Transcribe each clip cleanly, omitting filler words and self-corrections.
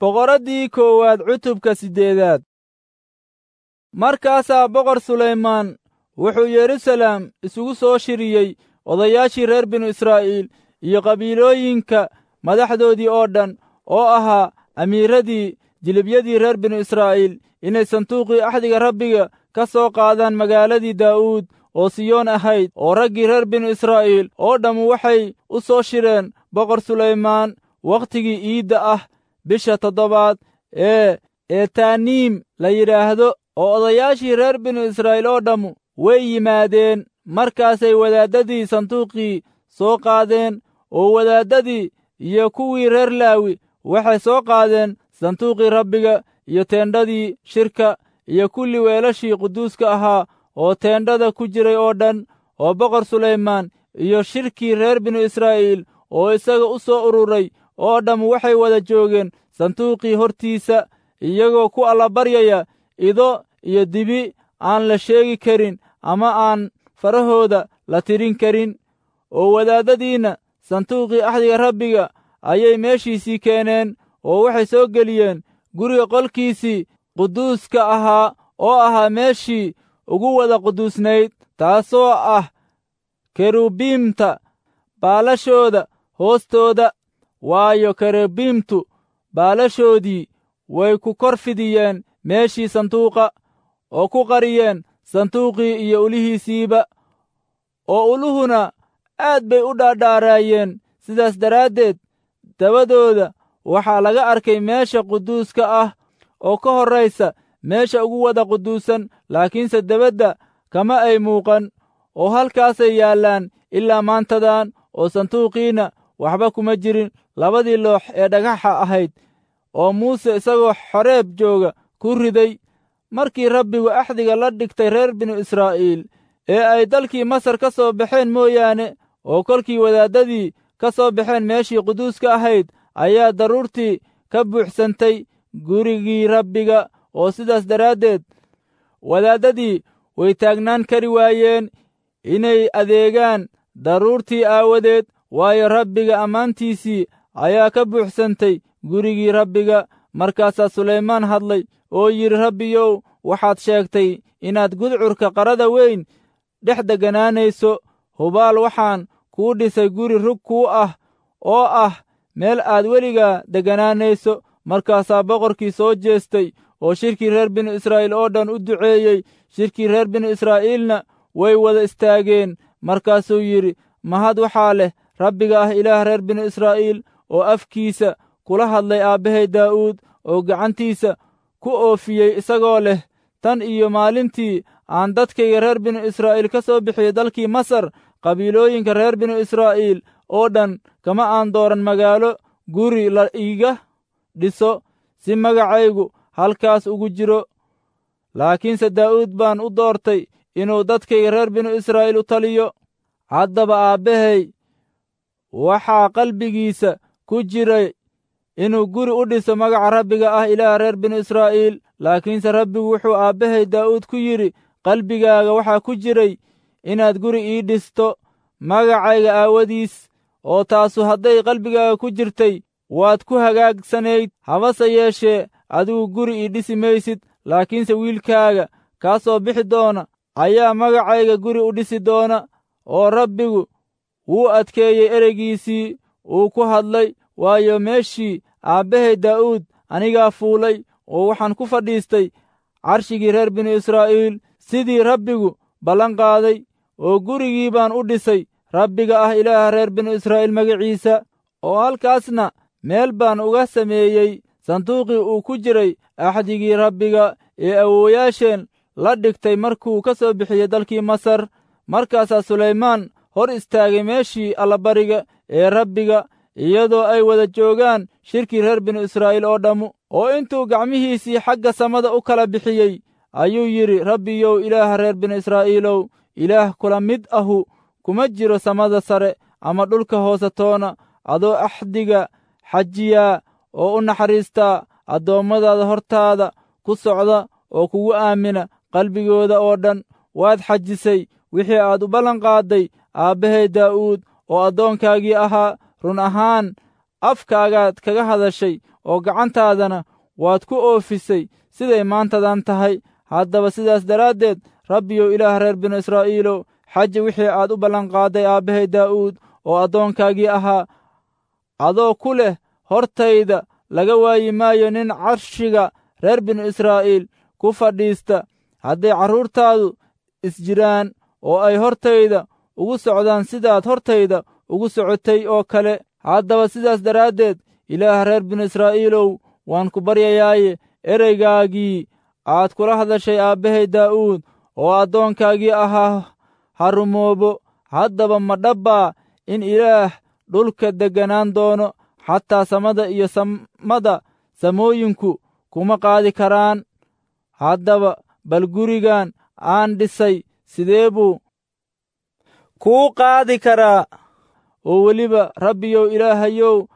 Boqoraddii koowaad cutubka siddeedaad. Markaasaa Boqor Sulaymaan wuxuu Yeruusaalem isugu soo shiriyey odayaashii reer binu Israa'iil iyo qabiilooyinka madaxdoodii oo dhan, oo ahaa amiiradii jilibyadii reer binu Israa'iil, inay sanduuqii axdiga Rabbiga ka soo qaadaan magaaladii Daa'uud oo Siyoon ahayd. Oo raggii reer binu Israa'iil oo dhammu waxay u soo shireen Boqor Sulaymaan wakhtigii iidda ah, bisha toddobaad ee Etaaniim la yidhaahdo. Oo odayaashii reer binu Israa'iil oo dhammu way yimaadeen. Markaasay wadaaddadii sanduuqii soo qaadeen, oo wadaaddadii iyo kuwii reer Laawi waxay soo qaadeen sanduuqii Rabbiga iyo teendhadii shirka iyo kulli weelashii quduuska ahaa oo teendhada ku jiray oo dhan. Oo Boqor Sulaymaan iyo shirkii reer binu Israa'iil oo isaga u soo ururay oo dhammu waxay wada joogeen sanduuqii hortiisa, iyagoo ku allabaryaya ido iyo dibi aan la sheegi karin ama aan farahooda la tirin karin. Oo wadaaddadiinna sanduuqii axdiga Rabbiga ayay meeshiisii keeneen, oo waxay soo geliyeen guriga qolkiisii quduuska ahaa, oo ahaa meeshii ugu wada quduusnayd, taasoo ah kerubiimta baalashooda hoostooda. Waayo, kerubiimtu baalashoodii way ku kor fidiyeen meeshii sanduuqa, oo ku qariyeen sanduuqii iyo ulihiisiiba. Oo uluhuna aad bay u dhaadhaaraayeen, sidaas daraaddeed dabadooda waxaa laga arkay meesha quduuska ah oo ka horraysa meesha ugu wada quduusan, laakiinse debadda kama ay muuqan. Oo halkaasay yaallaan ilaa maantadan. Oo sanduuqiinna waxba kuma jirin labadii loox ee dhagaxa ahayd oo Muuse isagoo Xoreeb jooga ku riday, markii Rabbigu axdiga la dhigtay reer binu Israa'iil ee ay dalkii Masar ka soo baxeen mooyaane. Oo kolkii wadaaddadii ka soo baxeen meeshii quduuska ahayd, ayaa daruurtii ka buuxsantay gurigii Rabbiga, oo sidaas daraaddeed wadaaddadii way taagnaan kari waayeen inay adeegaan daruurtii aawadeed, waayo, Rabbiga ammaantiisii ayaa ka buuxsantay gurigii Rabbiga. Markaasaa Sulaymaan hadlay oo yidhi, Rabbiyow, waxaad sheegtay inaad gudcurka qarada weyn dhex degganaanayso. Hubaal waxaan kuu dhisay guri rug kuu ah, oo ah meel aad weligaa degganaanayso. Markaasaa boqorkii soo jeestay oo shirkii reer binu Israa'iil oo dhan u duceeyey. Shirkii reer binu Israa'iilna way wada istaageen. Markaasuu yidhi, Mahad waxaa leh Rabbiga ah Ilaah reer binu Israa'iil, oo afkiisa kula hadlay aabbahay Daa'uud, oo gacantiisa ku oofiyey, isagoo leh, Tan iyo maalintii aan dadkayga reer binu Israa'iil ka soo bixiyey dalkii Masar, qabiilooyinka reer binu Israa'iil oo dhan kama aan dooran magaalo guri la iiga dhiso si magacaygu halkaas ugu jiro. Laakiinse Daa'uud baan u doortay inuu dadkayga reer binu Israa'iil u taliyo. Haddaba aabbahay waxaa qalbigiisa ku jiray inuu guri u dhiso magaca Rabbiga ah Ilaah reer binu Israa'iil. Laakiinse Rabbigu wuxuu aabbahay Daa'uud ku yidhi, qalbigaaga waxaa ku jiray inaad guri ii dhisto magacayga aawadiis, oo taasu hadday qalbigaaga ku jirtay waad ku hagaagsanayd. Habase yeeshee adigu guri ii dhisi maysid, laakiinse wiilkaaga kaa soo bixi doona ayaa magacayga guri u dhisi doona. Oo Rabbigu wuu adkeeyey ereygiisii uu ku hadlay, waayo, meeshii aabbahay Daa'uud anigaa fuulay, oo waxaan ku fadhiistay carshigii reer binu Israa'iil, sidii Rabbigu ballan qaaday. Oo gurigii baan u dhisay Rabbiga ah Ilaaha reer binu Israa'iil magaciisa, oo halkaasna meel baan uga sameeyey sanduuqii uu ku jiray axdigii Rabbiga ee awoowayaasheen la dhigtay markuu ka soo bixiyey dalkii Masar. Markaasaa Sulaymaan hor istaagay meeshii allabariga ee Rabbiga, iyadoo ay wada joogaan shirkii reer binu Israa'iil oo dhammu. Oo intuu gacmihiisii xagga samada u kala bixiyey ayuu yidhi, Rabbiyow, Ilaaha reer binu Israa'iilow, Ilaah kula mid ahu kuma jiro samada sare ama dhulka hoose toona, adoo axdiga xajiyaa oo u naxariistaa addoommadaada hortaada ku socda oo kugu aamina qalbigooda oo dhan. Waad xajisay wixii aad u ballan qaadday aabbahay Daa'uud oo addoonkaagii ahaa. Run ahaan Afkaagaad kaga hadashay oo gacantaadana waad ku oofisay siday maantadan tahay. Haddaba sidaas daraaddeed, Rabbiyow, Ilaah reer binu Israa'iilow, xaji wixii aad u ballanqaadday aabbahay Daa'uud oo addoonkaagii ahaa, adoo ku leh, hortayda laga waayi maayo nin carshiga reer binu Israa'iil ku fadhiista, hadday carruurtaadu isjiraan oo ay hortayda ugu socdaan sidaad hortayda ugu socotay oo kale. Haddaba sidaas daraaddeed, Ilaah reer binu Israa'iilow, waan ku baryayaaye, ereygaagii aad kula hadashay aabbahay Daa'uud oo addoonkaagii ahaa ha rumoobo. Haddaba ma dhabbaa in Ilaah dhulka degganaan doono? Xataa samada iyo samada samooyinku kuma qaadi karaan. Haddaba bal gurigan aan dhisay sidee buu kuu qaadi karaa? Oo weliba, Rabbiyow Ilaahayow,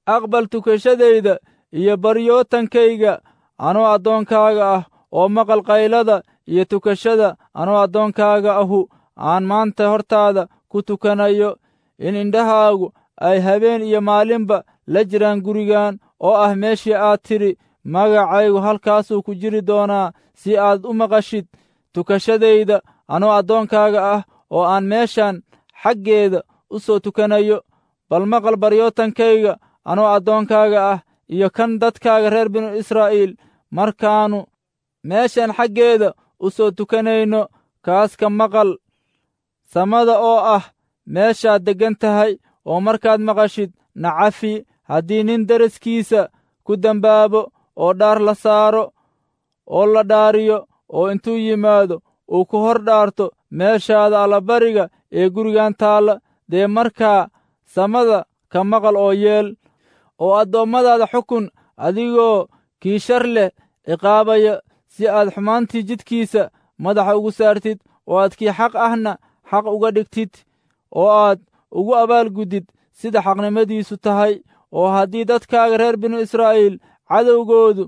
aqbal tukashadayda iyo baryootankayga anoo addoonkaaga ah, oo maqal qaylada iyo tukashada anoo addoonkaaga ahu aan maanta hortaada ku tukanayo, in indhahaagu ay habeen iyo maalinba la jiraan gurigan oo ah meeshii aad tidhi, magacaygu halkaasuu ku jiri doonaa, si aad u maqashid tukashadayda anoo addoonkaaga ah oo aan meeshan xaggeeda u soo tukanayo. Bal maqal baryootankayga anoo addoonkaaga ah iyo kan dadkaaga reer binu Israa'iil markaannu meeshan xaggeeda u soo tukanayno. Kaas ka maqal samada oo ah meeshaad deggan tahay, oo markaad maqashid nacafi. Haddii nin deriskiisa ku dembaabo oo dhaar la saaro oo la dhaariyo, oo intuu yimaado uu ku hor dhaarto meeshaada allabariga ee gurigan taalla, dee markaa samada ka maqal oo yeel, oo addoommadaada xukun adigoo kii shar leh ciqaabaya, si aad xumaantii jidkiisa madaxa ugu saartid, oo aad kii xaq ahna xaq uga dhigtid, oo aad ugu abaalguddid sida xaqnimadiisu tahay. Oo haddii dadkaaga reer binu Israa'iil cadowgoodu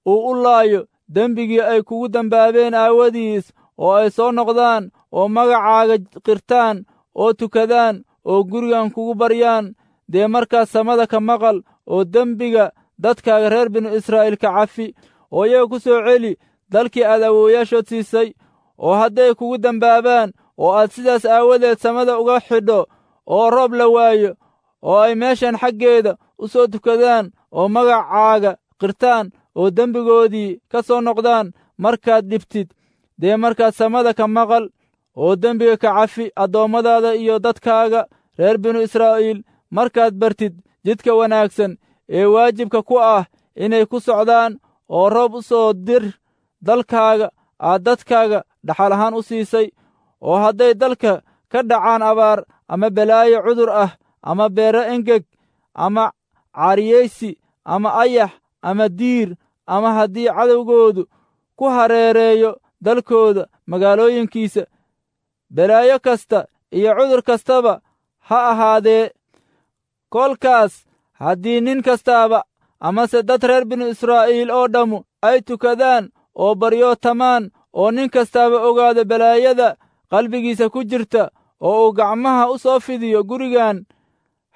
uu u laayo dembigii ay kugu dembaabeen aawadiis, oo ay soo noqdaan oo magacaaga qirtaan oo tukadaan oo gurigan kugu baryaan, dee markaas samada ka maqal oo dembiga dadkaaga reer binu Israa'iil ka cafi, oo iyaga ku soo celi dalkii aad awoowayaashood siisay. Oo hadday kugu dembaabaan oo aad sidaas aawadeed samada uga xidho oo roob la waayo, oo ay meeshan xaggeeda u soo tukadaan oo magacaaga qirtaan oo dembigoodii ka soo noqdaan markaad dhibtid, dee markaad samada ka maqal oo dembiga ka cafi addoommadaada iyo dadkaaga reer binu Israa'iil, markaad bartid jidka wanaagsan ee waajibka ku ah inay ku socdaan, oo roob u soo dir dalkaaga aad dadkaaga dhaxal ahaan u siisay. Oo hadday dalka ka dhacaan abaar ama balaayo cudur ah ama beero engeg ama caariyaysi ama ayax ama diir, ama haddii cadowgoodu ku hareereeyo dalkooda magaalooyinkiisa, balaayo kasta iyo cudur kastaba ha ahaadee, kolkaas haddii nin kastaaba amase dad reer binu Israa'iil oo dhammu ay tukadaan oo baryootamaan, oo nin kastaaba ogaado balaayada qalbigiisa ku jirta, oo uu gacmaha u soo fidiyo gurigan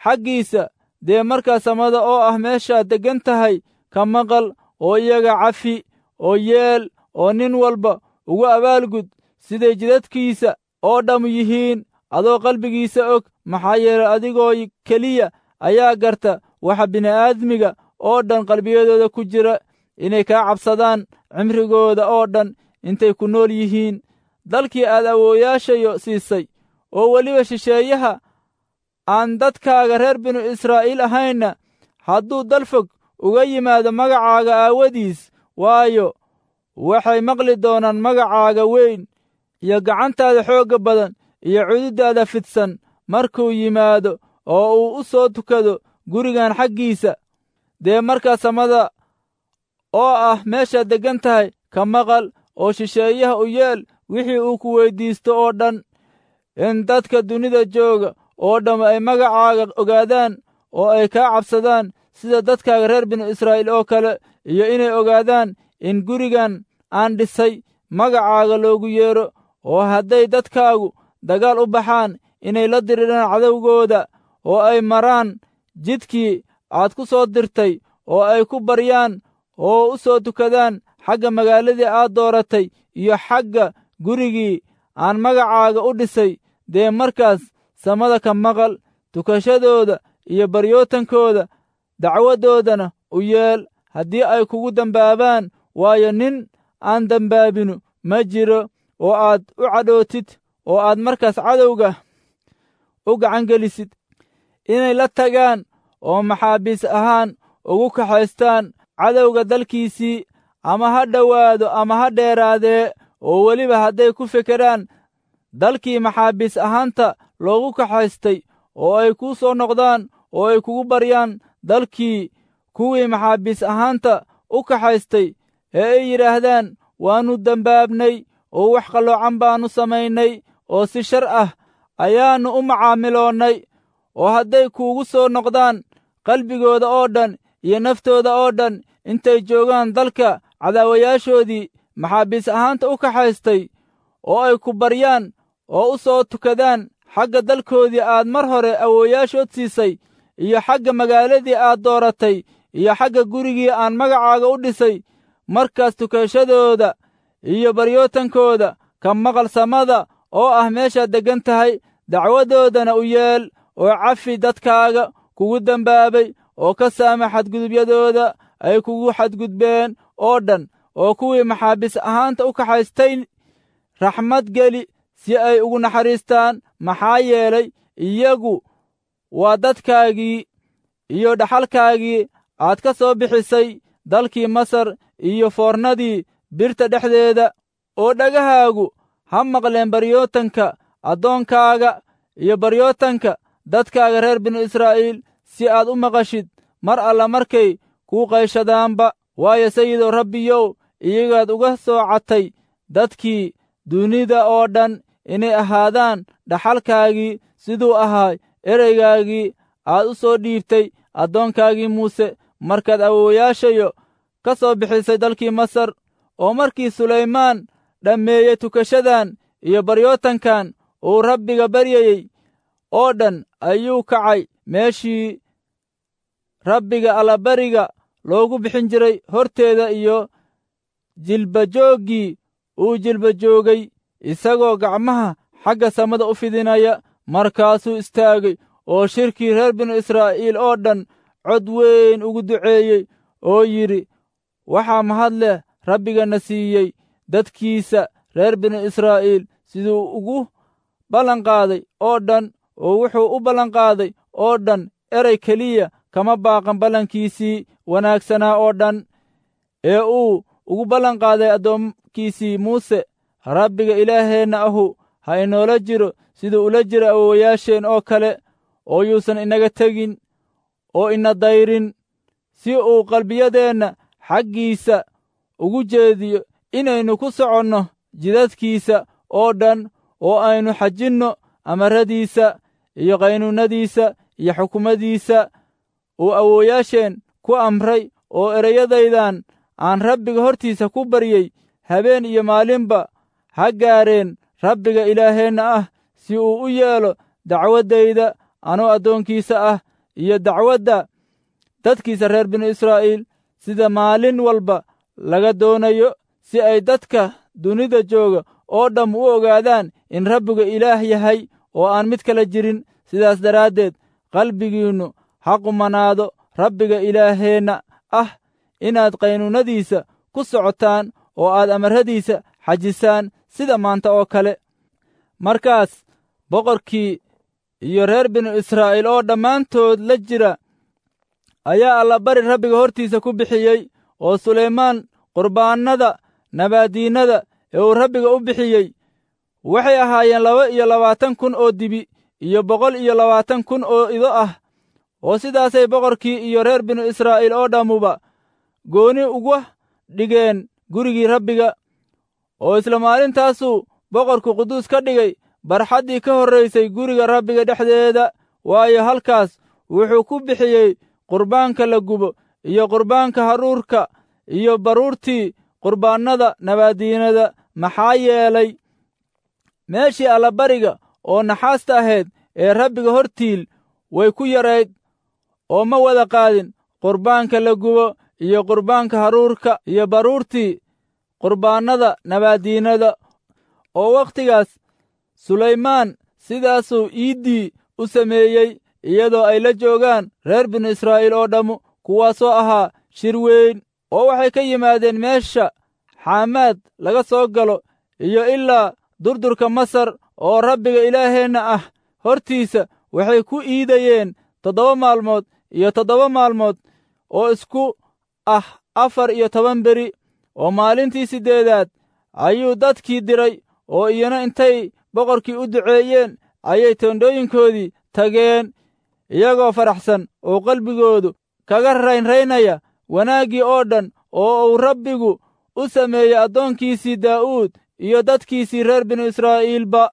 xaggiisa, dee markaa samada oo ah meeshaad deggan tahay ka maqal oo iyaga cafi oo yeel, oo nin walba ugu abaalgud siday jidadkiisa oo dhammu yihiin, adoo qalbigiisa og, maxaa yeelay adigoo keliya ayaa garta waxa bini'aadmiga oo dhan qalbiyadooda ku jira, inay kaa cabsadaan cimrigooda oo dhan intay ku nool yihiin dalkii aad awoowayaashayo siisay. Oo weliba shisheeyaha aan dadkaaga reer binu Israa'iil ahaynna hadduu dal fog uga yimaado magacaaga aawadiis, waayo, waxay maqli doonaan magacaaga weyn iyo gacantaada xoogga badan iyo cududdaada fidsan, markuu yimaado oo uu u soo tukado gurigan xaggiisa, dee markaa samada oo ah meeshaad deggan tahay ka maqal oo shisheeyaha u yeel wixii uu ku weyddiisto oo dhan, in dadka dunida jooga oo dhamm ay magacaaga ogaadaan oo ay kaa cabsadaan sida dadkaaga reer binu Israa'iil oo kale, iyo inay ogaadaan in gurigan aan dhisay magacaaga loogu yeedho. Oo hadday dadkaagu dagaal u baxaan inay la diriraan cadowgooda, oo ay maraan jidkii aad ku soo dirtay oo ay ku baryaan oo u soo tukadaan xagga magaaladii aad dooratay iyo xagga gurigii aan magacaaga u dhisay, dee markaas samada ka maqal tukashadooda iyo baryootankooda, dacwaddoodana u yeel haddii ay kugu dembaabaan, waayo, nin aan dembaabinu ma jiro, oo aad u cadhootid oo aad markaas cadowga u gacan gelisid inay la tagaan oo maxaabiis ahaan ugu kaxaystaan cadowga dalkiisii, ama ha dhowaado ama ha dheeraadee. Oo weliba hadday ku fekeraan dalkii maxaabiis ahaanta loogu kaxaystay, oo ay kuu soo noqdaan oo ay kugu baryaan dalkii kuwii maxaabiis ahaanta u kaxaystay, ee ay yidhaahdaan, waannu dembaabnay oo wax qalloocan baannu samaynay oo si shar ah ayaannu u macaamiloonnay, oo hadday kuugu soo noqdaan qalbigooda oo dhan iyo naftooda oo dhan intay joogaan dalka cadaawayaashoodii maxaabiis ahaanta u kaxaystay, oo ay ku baryaan oo u soo tukadaan xagga dalkoodii aad mar hore awoowayaashood siisay, iyo xagga magaaladii aad dooratay, iyo xagga gurigii aan magacaaga u dhisay, markaas tukashadooda iyo baryootankooda ka maqal samada oo ah meeshaad deggan tahay, dacwaddoodana u yeel, oo cafi dadkaaga kugu dembaabay, oo ka saama xadgudubyadooda ay kugu xadgudbeen oo dhan, oo kuwii maxaabiis ahaanta u kaxaystay raxmad geli si ay ugu naxariistaan, maxaa yeelay, iyagu waa dadkaagii iyo dhaxalkaagii aad ka soo bixisay dalkii Masar iyo foornadii birta dhexdeeda. Oo dhagahaagu ha maqleen baryootanka addoonkaaga iyo baryootanka dadkaaga reer binu Israa'iil, si aad u maqashid mar alla markay kuu qayshadaanba. Waayo, Sayidow Rabbiyow, iyagaad uga soo catay dadkii dunida oo dhan inay ahaadaan dhaxalkaagii, siduu ahaa ereygaagii aad u soo dhiibtay addoonkaagii Muuse markaad awoowayaashayo ka soo bixisay dalkii Masar. Oo markii Sulaymaan dhammeeyey tukashadan iyo baryootankan uu Rabbiga baryayey oo dhan, ayuu kacay meeshii Rabbiga allabariga loogu bixin jiray horteeda iyo jilbajooggii uu jilbajoogay, isagoo gacmaha xagga samada u fidinaya. Markaasuu istaagay oo shirkii reer binu Israa'iil oo dhan cod weyn ugu duceeyey oo yidhi: Waxaa mahad leh Rabbigana siiyey dadkiisa reer binu Israa'iil siduu ugu ballanqaaday oo dhan, oo wuxuu u ballanqaaday oo dhan erey keliya kama baaqan ballankiisii wanaagsanaa oo dhan ee uu ugu ballanqaaday addoonkiisii Muuse. Rabbiga Ilaaheenna ahu ha inoola jiro siduu ula jiro awoowayaasheen oo kale, oo yuusan inaga tegin oo ina dayrin, si uu qalbiyadeenna xaggiisa ugu jeediyo inaynu ku soconno jidadkiisa oo dhan, oo aynu xajinno amaradiisa iyo qaynuunnadiisa iyo xukumadiisa uu awoowayaasheen ku amray. Oo ereyadaydan aan Rabbiga hortiisa ku baryey habeen iyo maalinba ha gaareen Rabbiga Ilaaheenna ah, si uu u yeelo dacwaddayda anoo addoonkiisa ah iyo dacwadda dadkiisa reer binu Israa'iil, sida maalin walba laga doonayo, si ay dadka dunida jooga oo dhamm u ogaadaan in Rabbigu Ilaah yahay oo aan mid kala jirin. Sidaas daraaddeed qalbigiinnu ha qumanaado Rabbiga Ilaaheenna ah inaad qaynuunnadiisa ku socotaan oo aad amarradiisa xajisaan sida maanta oo kale. Markaas boqorkii iyo reer binu Israa'iil oo dhammaantood la jira ayaa allabari Rabbiga hortiisa ku bixiyey. Oo Sulaymaan qurbaannada nabaadiinnada ee uu Rabbiga u bixiyey waxay ahaayeen 22,000 oo dibi iyo 120,000 oo ido ah. Oo sidaasay boqorkii iyo reer binu Israa'iil oo dhammuba gooni uga dhigeen gurigii Rabbiga. Oo isla maalintaasuu boqorku quduus ka dhigay barxaddii ka horraysay guriga Rabbiga dhexdeeda, waayo, halkaas wuxuu ku bixiyey qurbaanka la gubo iyo qurbaanka haruurka iyo baruurtii qurbaannada nabaadiinada, maxaa yeelay, meeshii allabariga oo naxaasta ahayd ee Rabbiga hortiil way ku yarayd. Oo ma wada qaadin qurbaanka la gubo iyo qurbaanka haruurka iyo baruurtii qurbaannada nabaaddiinada. Oo wakhtigaas Sulaymaan sidaasuu iiddii u sameeyey, iyadoo ay la joogaan reer binu Israa'iil oo dhammu, kuwaasoo ahaa shir weyn. Oo waxay ka yimaadeen meesha Xaamaad laga soo galo iyo ilaa durdurka Masar, oo Rabbiga Ilaaheenna ah hortiisa waxay ku iidayeen 7 maalmood iyo 7 maalmood oo isku ah 14 beri. Oo maalintii siddeedaad ayuu dadkii diray, oo iyana intay boqorkii u duceeyeen ayay teendhooyinkoodii tageen, iyagoo faraxsan oo qalbigoodu kaga raynraynaya wanaaggii oo dhan oo uu Rabbigu u sameeyey addoonkiisii Daa'uud iyo dadkiisii reer binu Israa'iilba.